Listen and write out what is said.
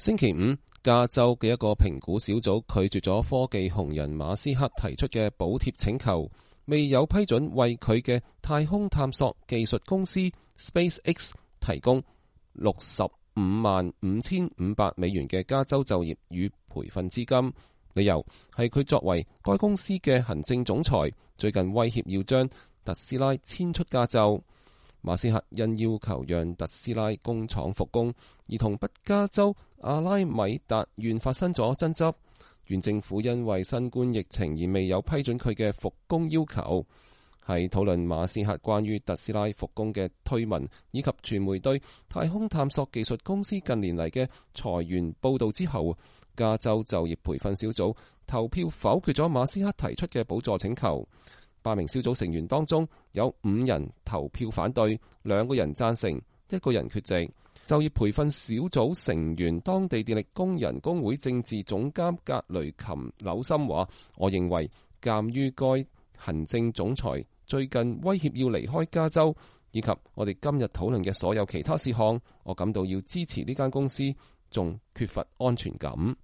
星期五，加州嘅一個評估小組拒絕咗科技紅人馬斯克提出嘅補貼請求，未有批准為佢嘅太空探索技術公司 SpaceX 提供$655,500嘅加州就業與培訓資金。理由係佢作為該公司嘅行政總裁，最近威脅要將特斯拉遷出加州。馬斯克因要求讓特斯拉工廠復工，而同北加州阿拉米達縣發生咗爭執。縣政府因為新冠疫情而未有批准佢嘅復工要求。喺討論馬斯克關於特斯拉復工嘅推文，以及傳媒對太空探索技術公司近年嚟嘅裁員報導之後，加州就業培訓小組投票否決咗馬斯克提出嘅補助請求。8名小組成員當中有5人投票反對，2個人贊成，1個人缺席。就業培訓小組成員當地電力工人工會政治總監格雷琴紐森話：我認為鑑於該行政總裁最近威脅要離開加州，以及我哋今日討論嘅所有其他事項，我感到要支持呢間公司，仲缺乏安全感。